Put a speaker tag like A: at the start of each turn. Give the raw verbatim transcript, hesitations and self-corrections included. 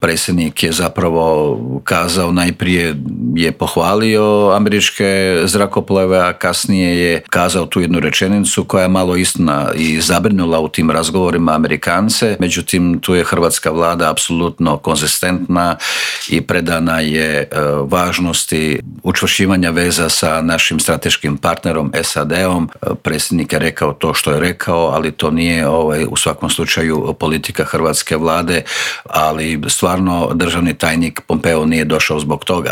A: Predsjednik je zapravo kazao, najprije je pohvalio američke zrakoplove, a kasnije je kazao tu jednu rečenicu koja je malo istina i zabrinula u tim razgovorima Amerikance. Međutim, tu je hrvatska vlada apsolutno konzistentna i predana je važnosti učvršćivanja veza sa našim strateškim partnerom S A D-om. Predsjednik je rekao to što je rekao, ali to nije ovaj, u svakom slučaju politika hrvatske vlade, ali stvarno državni tajnik Pompeo nije došao zbog toga.